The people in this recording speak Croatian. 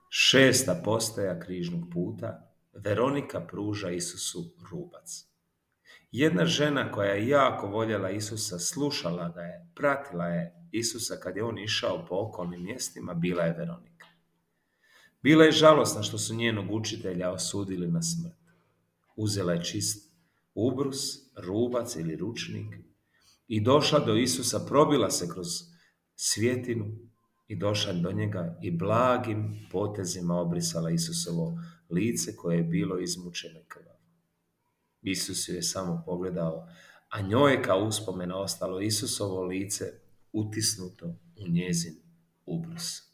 Šesta postaja križnog puta, Veronika pruža Isusu rubac. Jedna žena koja je jako voljela Isusa, slušala ga je, pratila je Isusa kad je on išao po okolnim mjestima, bila je Veronika. Bila je žalosna što su njenog učitelja osudili na smrt. Uzela je čist ubrus, rubac ili ručnik i došla do Isusa, probila se kroz svjetinu i došla do njega i blagim potezima obrisala Isusovo lice koje je bilo izmučeno i krvavo. Isus ju je samo pogledao, a njoj je kao uspomena ostalo Isusovo lice utisnuto u njezin ubrus.